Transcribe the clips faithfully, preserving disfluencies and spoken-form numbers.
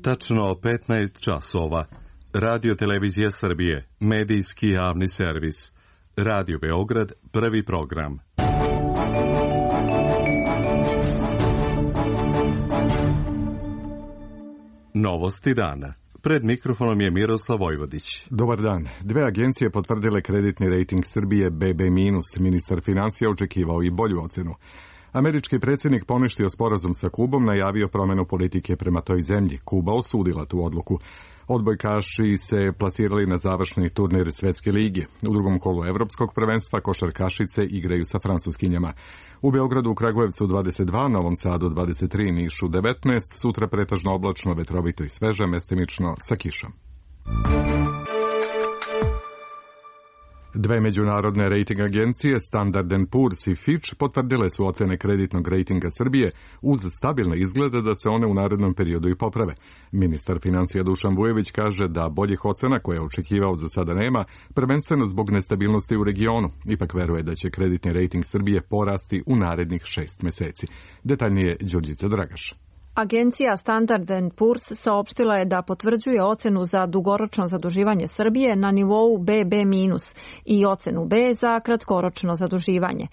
Tačno petnaest časova. Radio Televizija Srbije, medijski javni servis. Radio Beograd, prvi program. Novosti dana. Pred mikrofonom je Miroslav Vojvodić. Dobar dan. Dve agencije potvrdile kreditni rejting Srbije be be minus. Ministar finansija očekivao i bolju ocenu. Američki predsjednik poništio sporazum sa Kubom, najavio promjenu politike prema toj zemlji. Kuba osudila tu odluku. Odbojkaši se plasirali na završni turnir Svetske lige. U drugom kolu Evropskog prvenstva košarkašice igraju sa Francuskinjama. U Beogradu, u Kragujevcu dvadeset dva, Novom Sadu dvadeset tri, Nišu devetnaest, sutra pretežno oblačno, vetrovito i sveže, mestimično sa kišom. Dve međunarodne rejting agencije, Standard and Poor's i Fitch, potvrdile su ocene kreditnog rejtinga Srbije uz stabilne izglede da se one u narednom periodu i poprave. Ministar financija Dušan Vujović kaže da boljih ocena koje je očekivao za sada nema, prvenstveno zbog nestabilnosti u regionu. Ipak veruje da će kreditni rejting Srbije porasti u narednih šest meseci. Detaljnije Đurđica Dragaš. Agencija Standard and Poor's saopštila je da potvrđuje ocenu za dugoročno zaduživanje Srbije na nivou be be minus i ocenu B za kratkoročno zaduživanje.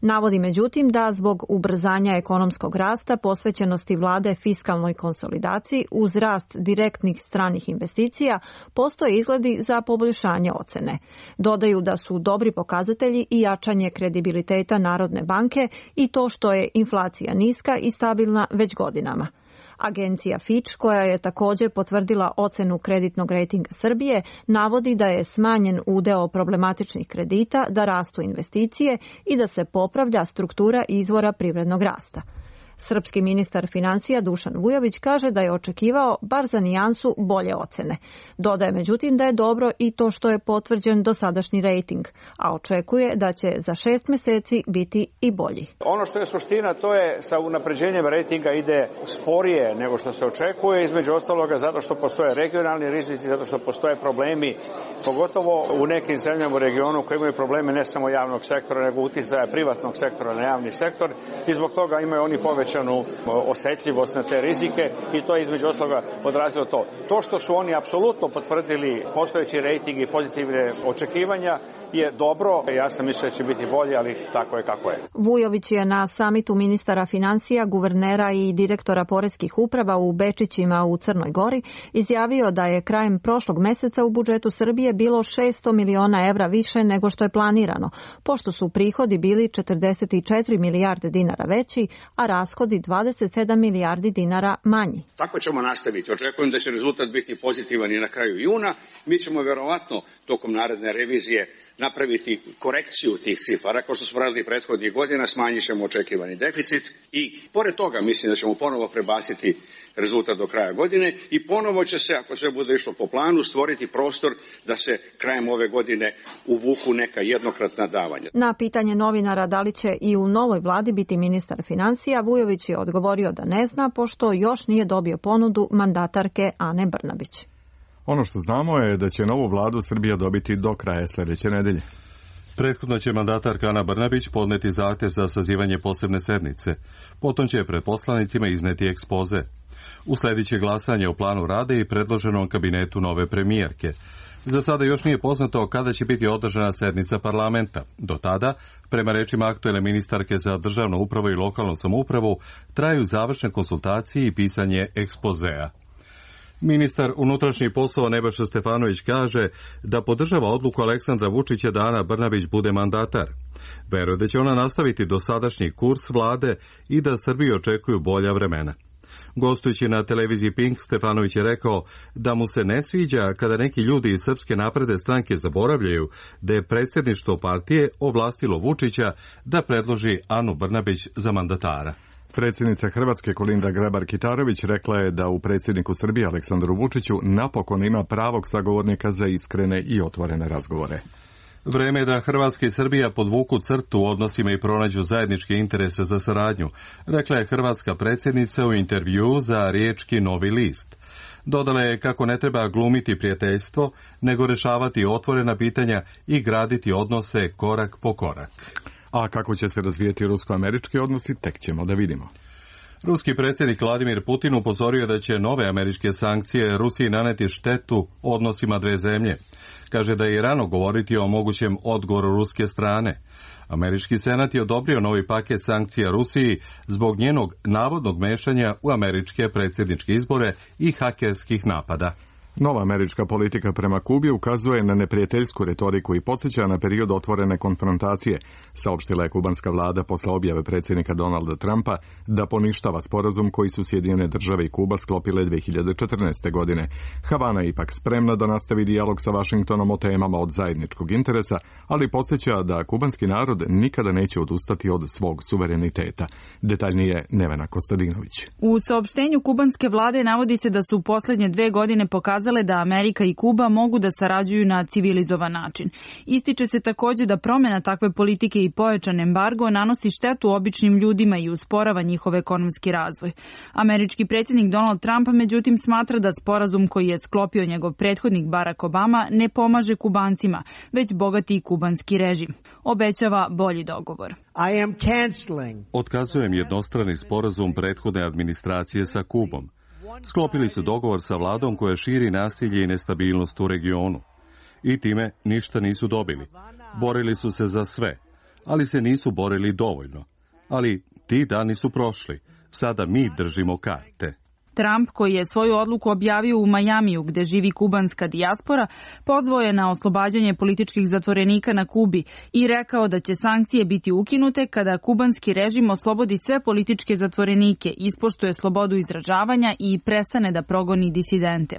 Navodi međutim da zbog ubrzanja ekonomskog rasta, posvećenosti vlade fiskalnoj konsolidaciji uz rast direktnih stranih investicija, postoje izgledi za poboljšanje ocene. Dodaju da su dobri pokazatelji i jačanje kredibiliteta Narodne banke i to što je inflacija niska i stabilna već godinama. Agencija Fitch, koja je također potvrdila ocenu kreditnog rejtinga Srbije, navodi da je smanjen udeo problematičnih kredita, da rastu investicije i da se popravlja struktura izvora privrednog rasta. Srpski ministar financija Dušan Vujović kaže da je očekivao bar za nijansu bolje ocene. Dodaje međutim da je dobro i to što je potvrđen dosadašnji rejting, a očekuje da će za šest meseci biti i bolji. Ono što je suština, to je sa unapređenjem rejtinga ide sporije nego što se očekuje, između ostaloga zato što postoje regionalni rizici, zato što postoje problemi, pogotovo u nekim zemljama u regionu koji imaju probleme ne samo javnog sektora, nego uticaja privatnog sektora na javni sektor i zbog toga imaju oni povećani osetljivost na te rizike i to je između ostaloga odrazilo to. To što su oni apsolutno potvrdili postojeći rejting i pozitivne očekivanja je dobro. Ja sam mislio da će biti bolje, ali tako je kako je. Vujović je na samitu ministara financija, guvernera i direktora poreskih uprava u Bečićima u Crnoj Gori izjavio da je krajem prošlog meseca u budžetu Srbije bilo šesto miliona evra više nego što je planirano, pošto su prihodi bili četrdeset četiri milijarde dinara veći, a rashodi dvadeset sedam milijardi dinara manji. Tako ćemo nastaviti. Očekujem da će rezultat biti pozitivan i na kraju juna. Mi ćemo verovatno tokom naredne revizije napraviti korekciju tih cifara, kao što smo radili prethodnih godina, smanjit ćemo očekivani deficit i pored toga mislim da ćemo ponovo prebaciti rezultat do kraja godine i ponovo će se, ako sve bude išlo po planu, stvoriti prostor da se krajem ove godine uvuku neka jednokratna davanja. Na pitanje novinara da li će i u novoj vladi biti ministar financija, Vujović je odgovorio da ne zna, pošto još nije dobio ponudu mandatarke Ane Brnabić. Ono što znamo je da će novu vladu Srbija dobiti do kraja sljedeće nedelje. Prethodno će mandatarka Ana Brnabić podneti zahtev za sazivanje posebne sednice. Potom će pred poslanicima izneti ekspoze. Usledit će glasanje o planu rade i predloženom kabinetu nove premijerke. Za sada još nije poznato kada će biti održana sednica parlamenta. Do tada, prema rečima aktuelne ministarke za državnu upravu i lokalnu samoupravu, traju završne konsultacije i pisanje ekspozea. Ministar unutrašnjih poslova Nebojša Stefanović kaže da podržava odluku Aleksandra Vučića da Ana Brnabić bude mandatar. Veruje da će ona nastaviti dosadašnji kurs vlade i da Srbiju očekuju bolja vremena. Gostujući na televiziji Pink, Stefanović je rekao da mu se ne sviđa kada neki ljudi iz Srpske napredne stranke zaboravljaju da je predsjedništvo partije ovlastilo Vučića da predloži Anu Brnabić za mandatara. Predsjednica Hrvatske Kolinda Grabar-Kitarović rekla je da u predsjedniku Srbije Aleksandru Vučiću napokon ima pravog sagovornika za iskrene i otvorene razgovore. Vreme je da Hrvatska i Srbija podvuku crtu u odnosima i pronađu zajedničke interese za saradnju, rekla je hrvatska predsjednica u intervjuu za riječki Novi list. Dodala je kako ne treba glumiti prijateljstvo, nego rješavati otvorena pitanja i graditi odnose korak po korak. A kako će se razvijeti rusko-američki odnosi, tek ćemo da vidimo. Ruski predsjednik Vladimir Putin upozorio da će nove američke sankcije Rusiji naneti štetu odnosima dve zemlje. Kaže da je rano govoriti o mogućem odgovoru ruske strane. Američki senat je odobrio novi paket sankcija Rusiji zbog njenog navodnog mešanja u američke predsjedničke izbore i hakerskih napada. Nova američka politika prema Kubi ukazuje na neprijateljsku retoriku i podsjeća na period otvorene konfrontacije, saopštila je kubanska vlada posle objave predsjednika Donalda Trumpa da poništava sporazum koji su Sjedinjene države i Kuba sklopile dve hiljade četrnaeste. godine. Havana je ipak spremna da nastavi dijalog sa Vašingtonom o temama od zajedničkog interesa, ali podsjeća da kubanski narod nikada neće odustati od svog suvereniteta. Detaljnije Nevena Kostadinović. U saopštenju kubanske vlade navodi se da su u posljednje dve godine pokazali da Amerika i Kuba mogu da sarađuju na civilizovan način. Ističe se također da promjena takve politike i pojačan embargo nanosi štetu običnim ljudima i usporava njihov ekonomski razvoj. Američki predsjednik Donald Trump međutim smatra da sporazum koji je sklopio njegov prethodnik Barack Obama ne pomaže Kubancima, već bogati kubanski režim. Obećava bolji dogovor. I am canceling. Otkazujem jednostrani sporazum prethodne administracije sa Kubom. Sklopili su dogovor sa vladom koja širi nasilje i nestabilnost u regionu. I time ništa nisu dobili. Borili su se za sve, ali se nisu borili dovoljno. Ali ti dani su prošli. Sada mi držimo karte. Trump, koji je svoju odluku objavio u Majamiju, gde živi kubanska dijaspora, pozvao je na oslobađanje političkih zatvorenika na Kubi i rekao da će sankcije biti ukinute kada kubanski režim oslobodi sve političke zatvorenike, ispoštuje slobodu izražavanja i prestane da progoni disidente.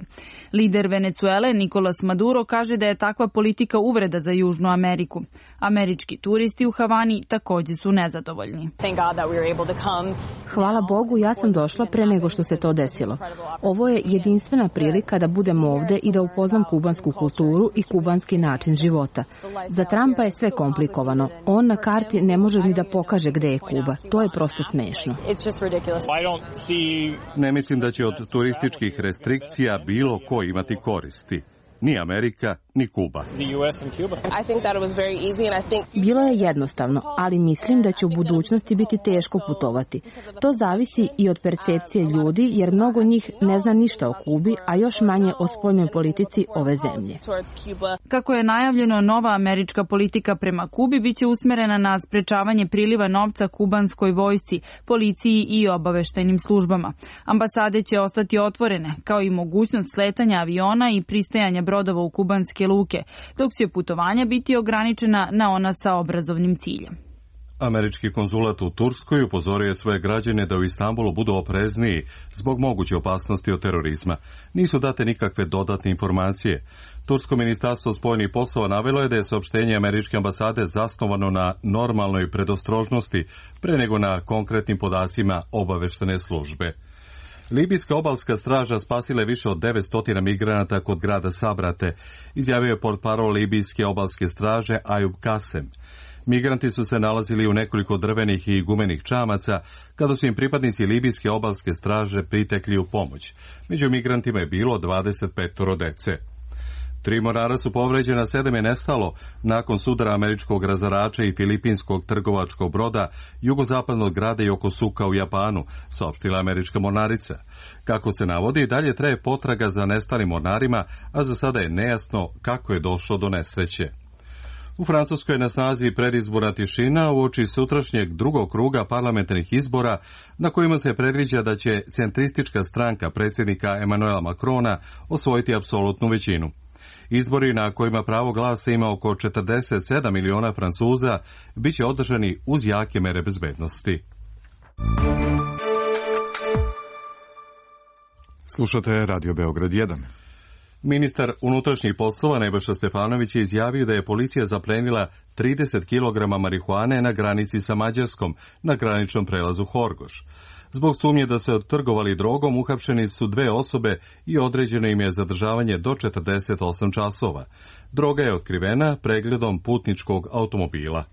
Lider Venecuele Nicolas Maduro kaže da je takva politika uvreda za Južnu Ameriku. Američki turisti u Havani također su nezadovoljni. Hvala Bogu, ja sam došla pre nego što se to desilo. Ovo je jedinstvena prilika da budem ovde i da upoznam kubansku kulturu i kubanski način života. Za Trumpa je sve komplikovano. On na karti ne može ni da pokaže gde je Kuba. To je prosto smešno. Ne mislim da će od turističkih restrikcija bilo ko imati koristi. Ni Amerika, ni Kuba. Bilo je jednostavno, ali mislim da će u budućnosti biti teško putovati. To zavisi i od percepcije ljudi, jer mnogo njih ne zna ništa o Kubi, a još manje o spoljnoj politici ove zemlje. Kako je najavljeno, nova američka politika prema Kubi biće usmerena na sprečavanje priliva novca kubanskoj vojsci, policiji i obaveštajnim službama. Ambasade će ostati otvorene, kao i mogućnost sletanja aviona i pristajanja brodova u kubanske luke, dok će putovanja biti ograničena na ona sa obrazovnim ciljem. Američki konzulat u Turskoj upozorio je svoje građane da u Istanbulu budu oprezniji zbog moguće opasnosti od terorizma. Nisu date nikakve dodatne informacije. Tursko ministarstvo spoljnih poslova navelo je da je saopštenje američke ambasade zasnovano na normalnoj predostrožnosti pre nego na konkretnim podacima obaveštene službe. Libijska obalska straža spasila je više od devetsto migranata kod grada Sabrate, izjavio je portparol Libijske obalske straže Ajub Kasem. Migranti su se nalazili u nekoliko drvenih i gumenih čamaca kada su im pripadnici Libijske obalske straže pritekli u pomoć. Među migrantima je bilo dvadeset pet dece. Tri mornara su povređena, sedam je nestalo nakon sudara američkog razarača i filipinskog trgovačkog broda jugozapadnog grada Yokosuka u Japanu, saopštila američka mornarica. Kako se navodi, dalje traje potraga za nestalim mornarima, a za sada je nejasno kako je došlo do nesreće. U Francuskoj je na snazi predizborna tišina uoči sutrašnjeg drugog kruga parlamentarnih izbora na kojima se predviđa da će centristička stranka predsjednika Emmanuela Macrona osvojiti apsolutnu većinu. Izbori na kojima pravo glasa ima oko četrdeset sedam miliona Francuza bit će održani uz jake mere bezbednosti. Slušate Radio Beograd jedan. Ministar unutrašnjih poslova Nebojša Stefanović je izjavio da je policija zaplenila trideset kilograma marihuane na granici sa Mađarskom, na graničnom prelazu Horgoš. Zbog sumnje da se trgovali drogom, uhapšeni su dve osobe i određeno im je zadržavanje do četrdeset osam časova. Droga je otkrivena pregledom putničkog automobila.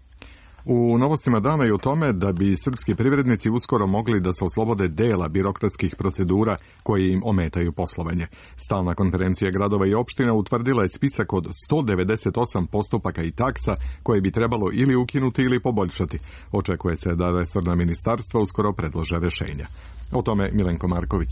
U novostima dana je u tome da bi srpski privrednici uskoro mogli da se oslobode dela birokratskih procedura koje im ometaju poslovanje. Stalna konferencija gradova i opština utvrdila je spisak od sto devedeset osam postupaka i taksa koje bi trebalo ili ukinuti ili poboljšati. Očekuje se da resorna ministarstva uskoro predlože rešenja. O tome Milenko Marković.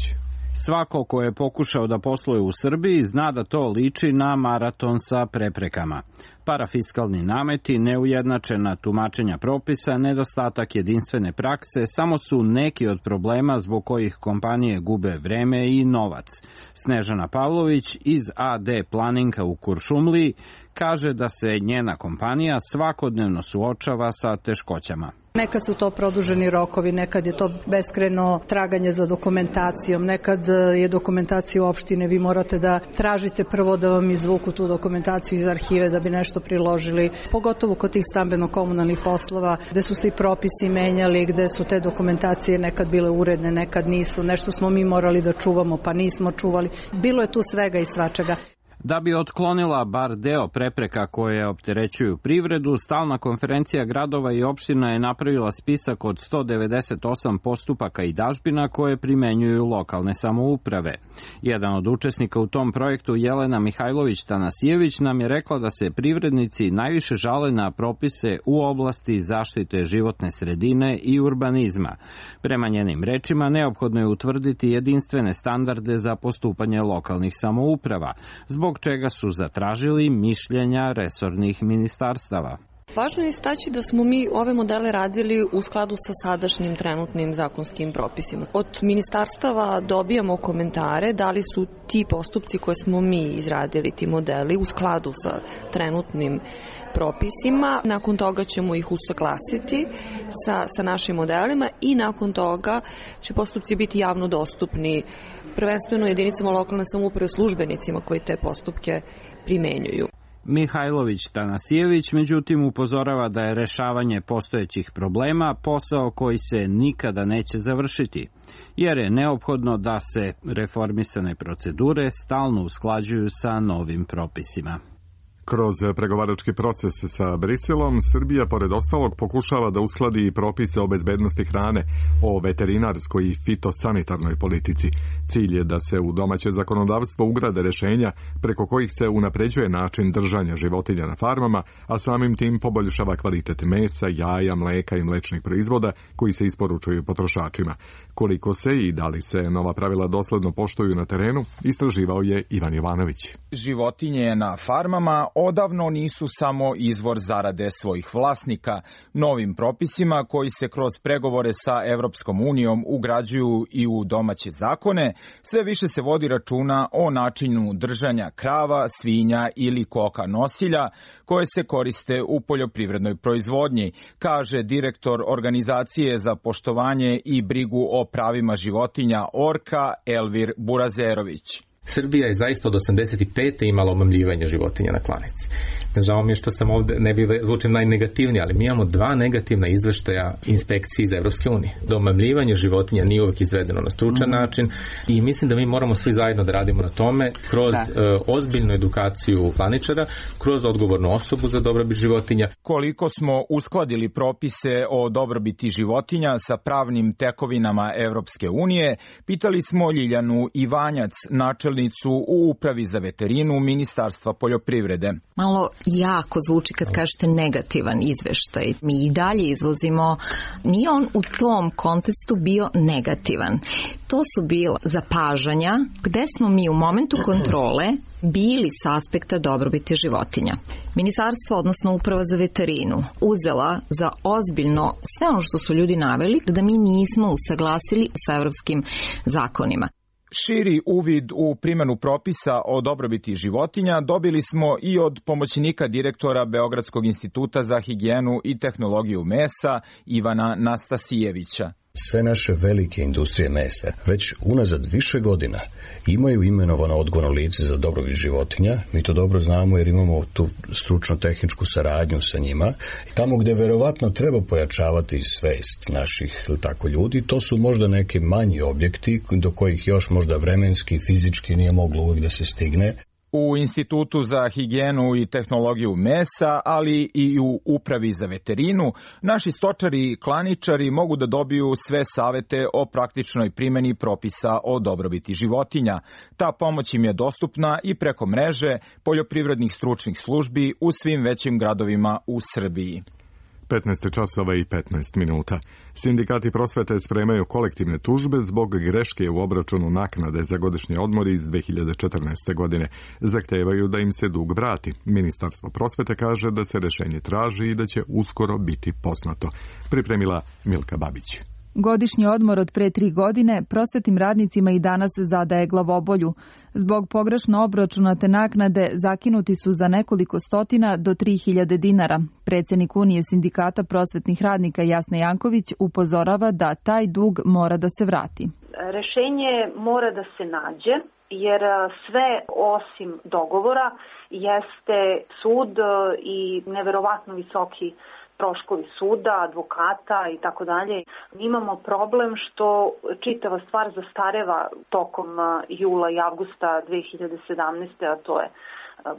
Svako ko je pokušao da posluje u Srbiji zna da to liči na maraton sa preprekama. Parafiskalni nameti, neujednačena tumačenja propisa, nedostatak jedinstvene prakse samo su neki od problema zbog kojih kompanije gube vreme i novac. Snežana Pavlović iz A D Planinga u Kuršumliji kaže da se njena kompanija svakodnevno suočava sa teškoćama. Nekad su to produženi rokovi, nekad je to beskrajno traganje za dokumentacijom, nekad je dokumentacija u opštine, vi morate da tražite prvo da vam izvuku tu dokumentaciju iz arhive da bi nešto priložili, pogotovo kod tih stambeno-komunalnih poslova, gde su se i propisi menjali, gde su te dokumentacije nekad bile uredne, nekad nisu, nešto smo mi morali da čuvamo pa nismo čuvali, bilo je tu svega i svačega. Da bi otklonila bar deo prepreka koje opterećuju privredu, stalna konferencija gradova i opština je napravila spisak od sto devedeset osam postupaka i dažbina koje primenjuju lokalne samouprave. Jedan od učesnika u tom projektu, Jelena Mihajlović-Tanasijević, nam je rekla da se privrednici najviše žale na propise u oblasti zaštite životne sredine i urbanizma. Prema njenim rečima, neophodno je utvrditi jedinstvene standarde za postupanje lokalnih samouprava, zbog čega su zatražili mišljenja resornih ministarstava. Važno je istaći da smo mi ove modele radili u skladu sa sadašnjim trenutnim zakonskim propisima. Od ministarstava dobijamo komentare da li su ti postupci koje smo mi izradili, ti modeli, u skladu sa trenutnim propisima. Nakon toga ćemo ih usaglasiti sa, sa našim modelima i nakon toga će postupci biti javno dostupni prvenstveno jedinicama lokalne samouprave, službenicima koji te postupke primenjuju. Mihajlović-Tanasijević međutim upozorava da je rešavanje postojećih problema posao koji se nikada neće završiti, jer je neophodno da se reformisane procedure stalno usklađuju sa novim propisima. Kroz pregovarački proces sa Briselom, Srbija, pored ostalog, pokušava da uskladi i propise o bezbednosti hrane, o veterinarskoj i fitosanitarnoj politici. Cilj je da se u domaće zakonodavstvo ugrade rešenja preko kojih se unapređuje način držanja životinja na farmama, a samim tim poboljšava kvalitet mesa, jaja, mleka i mlečnih proizvoda koji se isporučuju potrošačima. Koliko se i da li se nova pravila dosledno poštuju na terenu, istraživao je Ivan Jovanović. Životinje na farmama odavno nisu samo izvor zarade svojih vlasnika. Novim propisima koji se kroz pregovore sa Evropskom unijom ugrađuju i u domaće zakone, sve više se vodi računa o načinu držanja krava, svinja ili koka nosilja koje se koriste u poljoprivrednoj proizvodnji, kaže direktor Organizacije za poštovanje i brigu o pravima životinja Orka Elvir Burazerović. Srbija je zaista od osamdeset pete imala omamljivanje životinja na klanici. Žao mi je što sam ovde, ne bi zvučim najnegativniji, ali mi imamo dva negativna izveštaja inspekcije iz Evropske unije. Da omamljivanje životinja nije uvek izvedeno na stručan mm-hmm. način i mislim da mi moramo svi zajedno da radimo na tome kroz da. uh, ozbiljnu edukaciju klaničara, kroz odgovornu osobu za dobrobit životinja. Koliko smo uskladili propise o dobrobiti životinja sa pravnim tekovinama Evropske unije, pitali smo Ljiljanu Ivanjac, načelnicu u Upravi za veterinu Ministarstva poljoprivrede. Malo jako zvuči kad kažete negativan izveštaj. Mi i dalje izvozimo, nije on u tom kontekstu bio negativan. To su bila zapažanja gde smo mi u momentu kontrole bili s aspekta dobrobiti životinja. Ministarstvo, odnosno Uprava za veterinu, uzela za ozbiljno sve ono što su ljudi naveli da mi nismo usaglasili sa evropskim zakonima. Širi uvid u primjenu propisa o dobrobiti životinja dobili smo i od pomoćnika direktora Beogradskog instituta za higijenu i tehnologiju mesa Ivana Nastasijevića. Sve naše velike industrije mesa već unazad više godina imaju imenovano odgovorno lice za dobrobit životinja. Mi to dobro znamo jer imamo tu stručno-tehničku saradnju sa njima. Tamo gde verovatno treba pojačavati svest naših tako ljudi, to su možda neki manji objekti do kojih još možda vremenski i fizički nije moglo uvijek da se stigne. U Institutu za higijenu i tehnologiju mesa, ali i u Upravi za veterinu, naši stočari i klaničari mogu da dobiju sve savete o praktičnoj primjeni propisa o dobrobiti životinja. Ta pomoć im je dostupna i preko mreže poljoprivrednih stručnih službi u svim većim gradovima u Srbiji. petnaest časova i petnaest minuta. Sindikati prosvete spremaju kolektivne tužbe zbog greške u obračunu naknade za godišnji odmor iz dve hiljade četrnaeste. godine. Zahtevaju da im se dug vrati. Ministarstvo prosvete kaže da se rešenje traži i da će uskoro biti poznato. Pripremila Milka Babić. Godišnji odmor od pre tri godine prosvetnim radnicima i danas zadaje glavobolju. Zbog pogrešno obračunate naknade zakinuti su za nekoliko stotina do tri hiljade dinara. Predsednik Unije sindikata prosvetnih radnika Jasna Janković upozorava da taj dug mora da se vrati. Rešenje mora da se nađe, jer sve osim dogovora jeste sud i neverovatno visoki troškovi suda, advokata i tako dalje. Imamo problem što čitava stvar zastareva tokom jula i avgusta dve hiljade sedamnaeste. a to je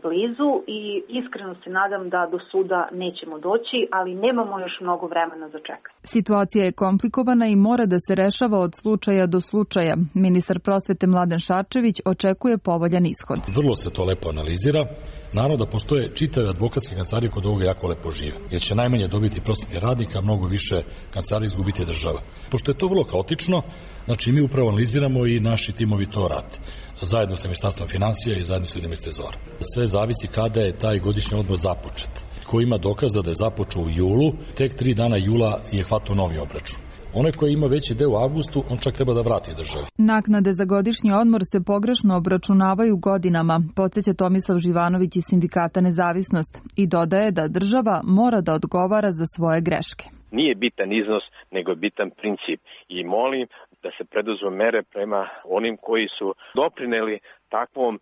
blizu i iskreno se nadam da do suda nećemo doći, ali nemamo još mnogo vremena za čekanje. Situacija je komplikovana i mora da se rešava od slučaja do slučaja. Ministar prosvete Mladen Šarčević očekuje povoljan ishod. Vrlo se to lepo analizira. Naravno da postoje čitave advokatske kancelarije kod ovoga jako lepo žive, jer će najmanje dobiti prosvetni radnik, a mnogo više kancelarija izgubiti država. Pošto je to vrlo kaotično, znači mi upravo analiziramo i naši timovi to rade, zajedno sa Ministarstvom finansija i zajedno sa ljudima iz Trezora. Sve zavisi kada je taj godišnji odmor započet. Ko ima dokaza da je započeo u julu, tek tri dana jula je hvatao novi obračun. Onaj koji ima veći deo u avgustu, on čak treba da vrati državi. Naknade za godišnji odmor se pogrešno obračunavaju godinama, podsjeća Tomislav Živanović iz Sindikata Nezavisnost i dodaje da država mora da odgovara za svoje greške. Nije bitan iznos, nego je bitan princip i molim da se preduzmu mere prema onim koji su doprineli takvom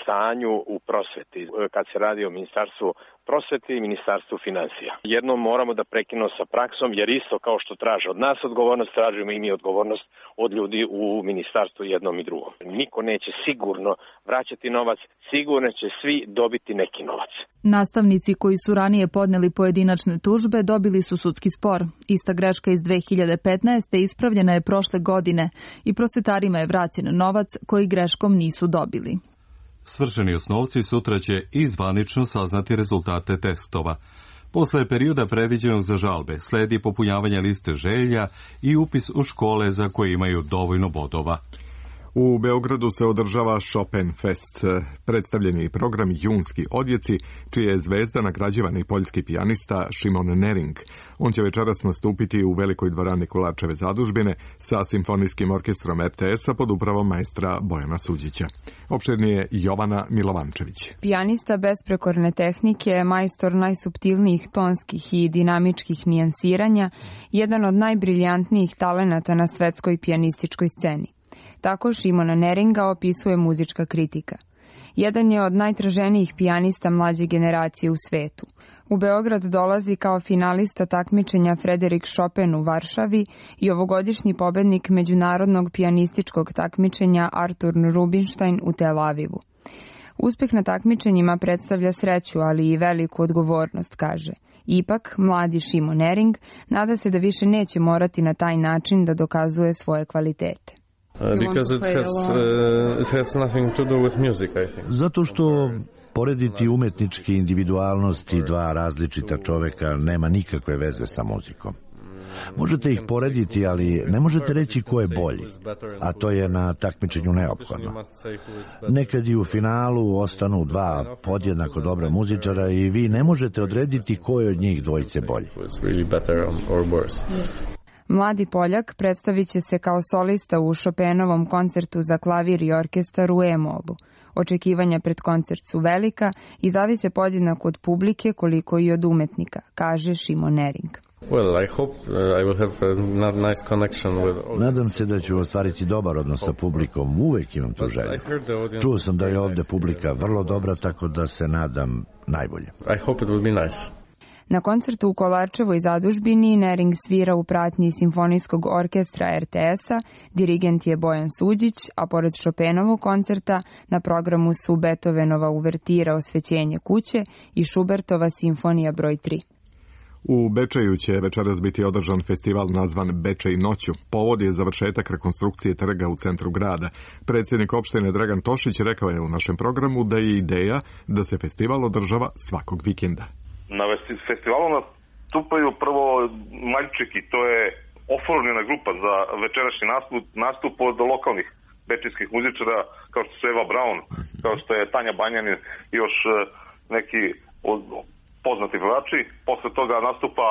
stanju u prosveti, kad se radi o Ministarstvu prosvete i Ministarstvu finansija. Jednom moramo da prekinemo sa praksom, jer isto kao što traže od nas odgovornost, tražimo i mi odgovornost od ljudi u Ministarstvu jednom i drugom. Niko neće sigurno vraćati novac, sigurno će svi dobiti neki novac. Nastavnici koji su ranije podneli pojedinačne tužbe dobili su sudski spor. Ista greška iz dve hiljade petnaeste. ispravljena je prošle godine i prosvetarima je vraćen novac koji greškom nisu dobili. Svršeni osnovci sutra će i zvanično saznati rezultate testova. Posle perioda predviđenog za žalbe sledi popunjavanje liste želja i upis u škole za koje imaju dovoljno bodova. U Beogradu se održava Chopin Fest, predstavljeni program Junski odjeci, čija je zvezda nagrađivani poljski pijanista Šimon Nering. On će večeras nastupiti u velikoj dvorani Kulačeve zadužbine sa simfonijskim orkestrom er te es-a pod upravom majstra Bojana Suđića. Opširnije Jovana Milovančević. Pijanista besprekorne tehnike, majstor najsuptilnijih tonskih i dinamičkih nijansiranja, jedan od najbriljantnijih talenata na svetskoj pijanističkoj sceni. Tako Šimona Neringa opisuje muzička kritika. Jedan je od najtraženijih pijanista mlađe generacije u svetu. U Beograd dolazi kao finalista takmičenja Frederik Chopin u Varšavi i ovogodišnji pobednik međunarodnog pijanističkog takmičenja Artur Rubinstein u Tel Avivu. Uspeh na takmičenjima predstavlja sreću, ali i veliku odgovornost, kaže. Ipak, mladi Šimon Nering nada se da više neće morati na taj način da dokazuje svoje kvalitete. Zato što porediti umetnički individualnost i dva različita čoveka nema nikakve veze sa muzikom. Možete ih porediti, ali ne možete reći ko je bolji, a to je na takmičenju neophodno. Nekad i u finalu ostanu dva podjednako dobra muzičara i vi ne možete odrediti ko je od njih dvojice bolji. Mladi Poljak predstavit će se kao solista u Chopinovom koncertu za klavir i orkestar u E-molu. Očekivanja pred koncert su velika i zavise podjednako od publike koliko i od umetnika, kaže Šimon Nering. Nadam se da ću ostvariti dobar odnos sa publikom, uvek imam tu želju. Čuo sam da je ovde publika vrlo dobra, tako da se nadam najbolje. Na koncertu u Kolarčevoj zadužbini Nering svira u pratnji Simfonijskog orkestra er te es-a, dirigent je Bojan Suđić, a pored Chopinovog koncerta na programu su Beethovenova uvertira Osvećenje kuće i Schubertova simfonija broj tri. U Bečeju će večeras biti održan festival nazvan Bečej noću. Povod je završetak rekonstrukcije trga u centru grada. Predsjednik opštine Dragan Tošić rekao je u našem programu da je ideja da se festival održava svakog vikenda. Na festivalu nastupaju prvo Maljčiki, to je oformljena grupa za večerašnji nastup, nastup od lokalnih bečijskih muzičara, kao što su Eva Braun, kao što je Tanja Banjanin i još neki od poznati pevači. Posle toga nastupa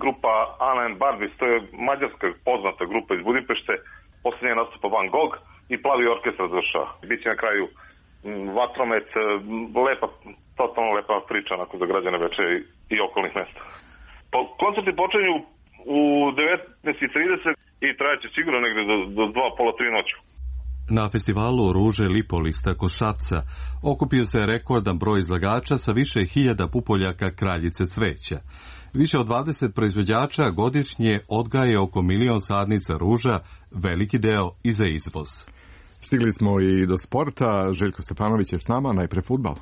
grupa Ana and Barbis, to je mađarska poznata grupa iz Budimpešte. Posljednje nastupa Van Gogh i Plavi orkestar završava. Biće na kraju Vatromet, lepa, totalno lepa priča onako za građane Bečeja i okolnih mesta. Koncerti počinju u devetnaest i trideset i trajaće sigurno negde do, do dva, pola, tri noću. Na festivalu Ruže Lipolista kod Šapca okupio se rekordan broj izlagača sa više hiljada pupoljaka kraljice cveća. Više od dvadeset proizvođača godišnje odgaje oko milion sadnica ruža, veliki deo i za izvoz. Stigli smo i do sporta. Željko Stefanović je s nama, najpre fudbal.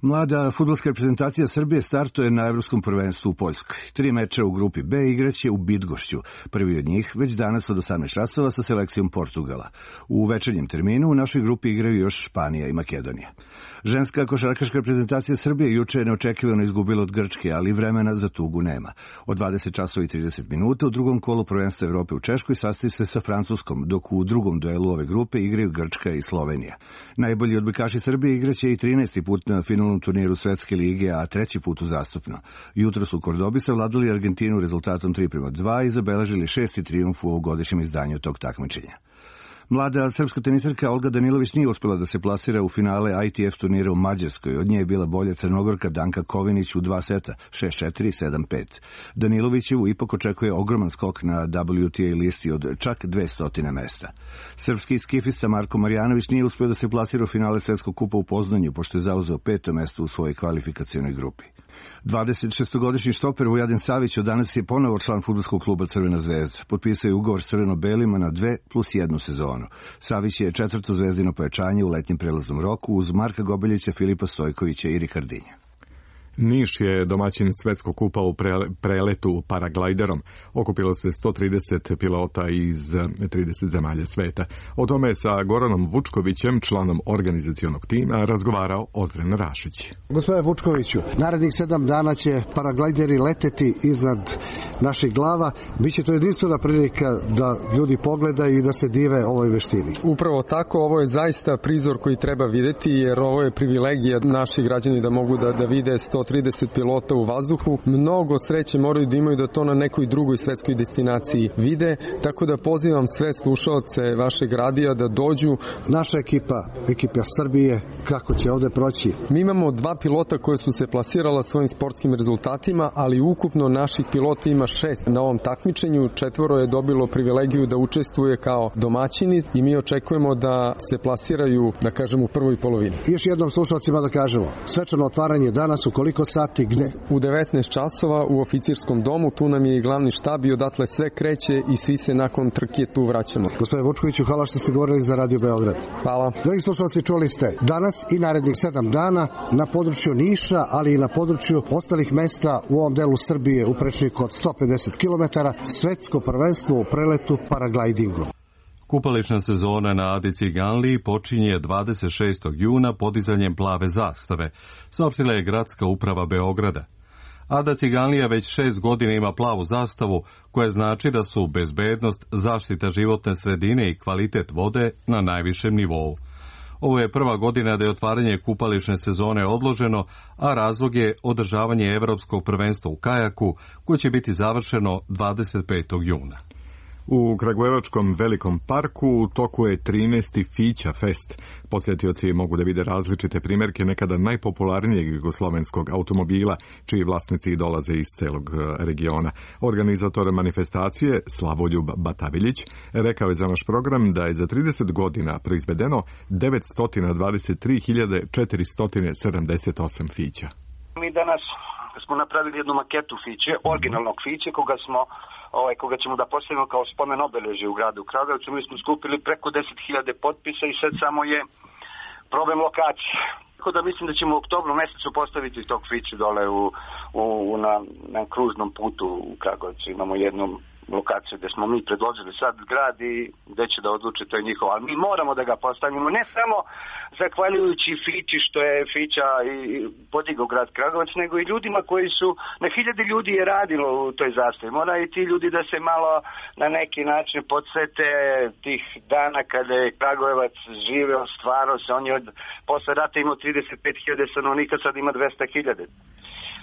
Mlada fudbalska reprezentacija Srbije startuje na Evropskom prvenstvu u Poljskoj. Tri meča u grupi B igraće u Bydgošću. Prvi od njih već danas od osamnaest časova sa selekcijom Portugala. U večernjem terminu u našoj grupi igraju još Španija i Makedonija. Ženska košarkaška reprezentacija Srbije juče je neočekivano izgubila od Grčke, ali vremena za tugu nema. Od dvadeset časova i trideset minuta u drugom kolu prvenstva Evrope u Češkoj sastaje se sa Francuskom, dok u drugom duelu ove grupe igraju Grčka i Slovenija. Najbolji odbojkaši Srbije igraće i trinaesti put na finalnom turniru Svetske lige, a treći put uzastopno. Jutro su u Kordobi savladali Argentinu rezultatom tri prema dva i zabeležili šesti trijumf u ovogodišnjem izdanju tog takmičenja. Mlada srpska tenisarka Olga Danilović nije uspjela da se plasira u finale I T F turnira u Mađarskoj. Od nje je bila bolja Crnogorka Danka Kovinić u dva seta, šest četiri, sedam pet. Danilovićevu ipak očekuje ogroman skok na W T A listi od čak dvesta mesta. Srpski skifista Marko Marjanović nije uspio da se plasira u finale Svetskog kupa u Poznanju, pošto je zauzeo peto mesto u svojoj kvalifikacionoj grupi. dvadesetšestogodišnji štoper Vujadin Savić od danas je ponovo član fudbalskog kluba Crvena zvezda. Potpisao je ugovor s crveno-belima na dve plus jednu sezonu. Savić je četvrto zvezdino pojačanje u letnjem prelaznom roku uz Marka Gobeljića, Filipa Stojkovića i Rikardinja. Niš je domaćin Svetskog kupa u preletu paraglajderom. Okupilo se sto trideset pilota iz trideset zemalja sveta. O tome je sa Goranom Vučkovićem, članom organizacionog tima, razgovarao Ozren Rašić. Gospodine Vučkoviću, narednih sedam dana će paraglajderi leteti iznad naših glava. Biće to jedinstvena prilika da ljudi pogledaju i da se dive ovoj veštini. Upravo tako, ovo je zaista prizor koji treba videti, jer ovo je privilegija naših građani da mogu da, da vide sto trideset pilota u vazduhu. Mnogo sreće moraju da imaju da to na nekoj drugoj svetskoj destinaciji vide, tako da pozivam sve slušaoce vašeg radija da dođu. Naša ekipa, ekipa Srbije, kako će ovde proći? Mi imamo dva pilota koje su se plasirala svojim sportskim rezultatima, ali ukupno naših pilota ima šest na ovom takmičenju. Četvoro je dobilo privilegiju da učestvuje kao domaćini i mi očekujemo da se plasiraju, da kažem, u prvoj polovini. Još jednom slušalcima da kažemo, svečano otvaranje danas u koliko sati, gde? U devetnaest časova u oficirskom domu, tu nam je i glavni štab i odatle sve kreće i svi se nakon trke tu vraćamo. Gospodine Vučkoviću, hvala što ste govorili za Radio Beograd. Hvala. Dragi slušalci, čuli ste danas i narednih sedam dana na području Niša, ali i na području ostalih mesta u ovom delu Srbije u prečniku od sto pedeset kilometara, svetsko prvenstvo u preletu paraglajdingu. Kupališna sezona na Adi Ciganliji počinje dvadeset šestog juna podizanjem plave zastave, saopštila je gradska uprava Beograda. Ada Ciganlija već šest godina ima plavu zastavu, koja znači da su bezbednost, zaštita životne sredine i kvalitet vode na najvišem nivou. Ovo je prva godina da je otvaranje kupališne sezone odloženo, a razlog je održavanje Evropskog prvenstva u kajaku, koje će biti završeno dvadeset petog juna. U Kragujevačkom velikom parku u toku je trinaesti Fića Fest. Posjetioci mogu da vide različite primjerke nekada najpopularnijeg jugoslovenskog automobila, čiji vlasnici dolaze iz celog regiona. Organizator manifestacije, Slavoljub Bataviljić, rekao je za naš program da je za trideset godina proizvedeno devetsto dvadeset tri hiljade četiristo sedamdeset osam Fića. Mi danas smo napravili jednu maketu Fiće, originalnog Fiće, koga smo ovaj, koga ćemo da postavimo kao spomen obeležje u gradu Kragujevcu. Mi smo skupili preko deset hiljada potpisa i sad samo je problem lokacije. Tako da mislim da ćemo u oktobru mesecu postaviti tog Fiće dole u, u, na, na kružnom putu u Kragujevcu. Imamo jednu lokaciju gde smo mi predložili sad grad i gde će da odluči, to je njihovo. Ali mi moramo da ga postavimo, ne samo zahvaljujući Fići što je Fića i podigao grad Kragujevac, nego i ljudima koji su, na hiljade ljudi je radilo u toj zastavi. Mora i ti ljudi da se malo na neki način podsete tih dana kada je Kragujevac živeo, stvarao se. On je od, posle rata imao trideset pet hiljada stanovnika, sad ima dvesta hiljada.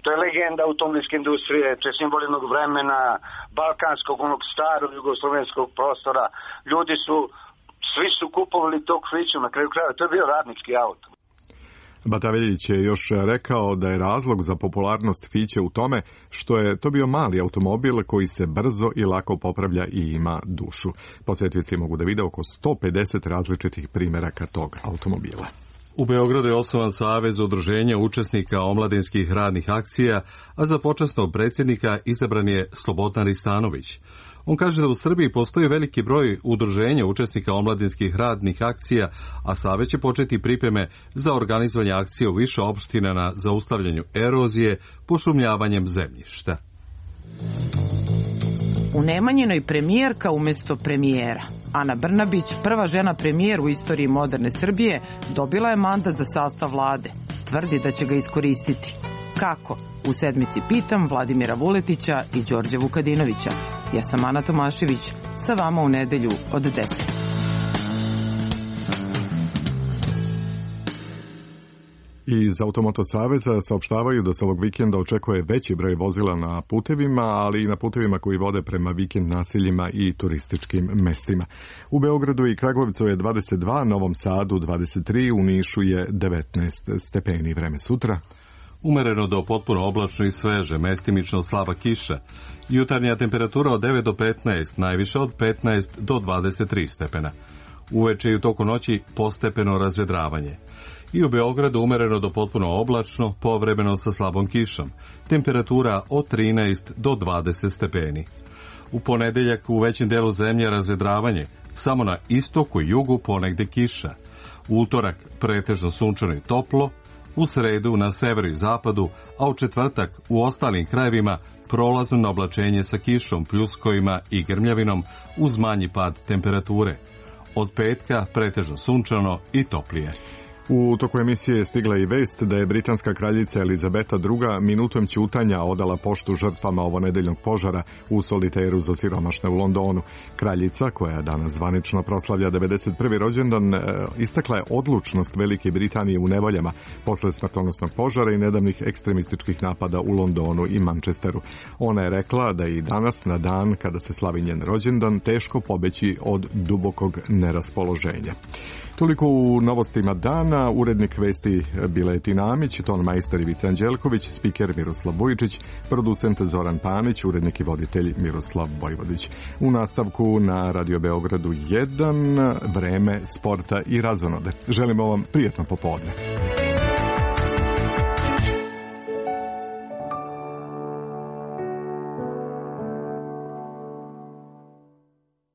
To je legenda automobilske industrije, to je simbol jednog vremena, balkanskog, onog starog jugoslovenskog prostora. Ljudi su, svi su kupovali tog Fiću, na kraju kraja, to je bio radnički auto. Bataveljić je još rekao da je razlog za popularnost Fiće u tome što je to bio mali automobil koji se brzo i lako popravlja i ima dušu. Posjetioci mogu da vide oko sto pedeset različitih primjeraka tog automobila. U Beogradu je osnovan Savez udruženja učesnika omladinskih radnih akcija, a za počasnog predsjednika izabran je Slobodan Ristanović. On kaže da u Srbiji postoji veliki broj udruženja učesnika omladinskih radnih akcija, a Savez će početi pripreme za organizovanje akcije u više opština na zaustavljanju erozije pošumljavanjem zemljišta. U Nemanjinoj premijerka umjesto premijera. Ana Brnabić, prva žena premijer u istoriji moderne Srbije, dobila je mandat za sastav vlade. Tvrdi da će ga iskoristiti. Kako? U sedmici pitam Vladimira Vuletića i Đorđa Vukadinovića. Ja sam Ana Tomašević, sa vama u nedelju od deset. Iz Automoto Saveza saopštavaju da se ovog vikenda očekuje veći broj vozila na putevima, ali i na putevima koji vode prema vikend naseljima i turističkim mestima. U Beogradu i Kragujevcu je dvadeset dva, Novom Sadu dvadeset tri, u Nišu je devetnaest stepeni. Vreme sutra. Umereno do potpuno oblačno i sveže, mestimično slaba kiša. Jutarnja temperatura od devet do petnaest, najviše od petnaest do dvadeset tri stepena. Uveče i u toku noći postepeno razvedravanje. I u Beogradu umereno do potpuno oblačno, povremeno sa slabom kišom. Temperatura od trinaest do dvadeset stepeni. U ponedeljak u većem delu zemlje razvedravanje, samo na istoku i jugu ponegde kiša. U utorak pretežno sunčano i toplo, u sredu na severu i zapadu, a u četvrtak u ostalim krajevima prolazno na oblačenje sa kišom, pljuskovima i grmljavinom uz manji pad temperature. Od petka pretežno sunčano i toplije. U toku emisije je stigla i vest da je britanska kraljica Elizabeta druga minutom ćutanja odala poštu žrtvama ovonedeljnog požara u soliteru za siromašne u Londonu. Kraljica, koja danas zvanično proslavlja devedeset prvi rođendan, istakla je odlučnost Velike Britanije u nevoljama posle smrtonosnog požara i nedavnih ekstremističkih napada u Londonu i Manchesteru. Ona je rekla da i danas, na dan kada se slavi njen rođendan, teško pobeći od dubokog neraspoloženja. Toliko u novostima dana, urednik vesti Biletina Amić, ton majstor Ivica Anđelković, spiker Miroslav Vujičić, producent Zoran Panić, urednik i voditelj Miroslav Vojvodić. U nastavku na Radio Beogradu jedan, vreme sporta i razonode. Želimo vam prijatno popodne.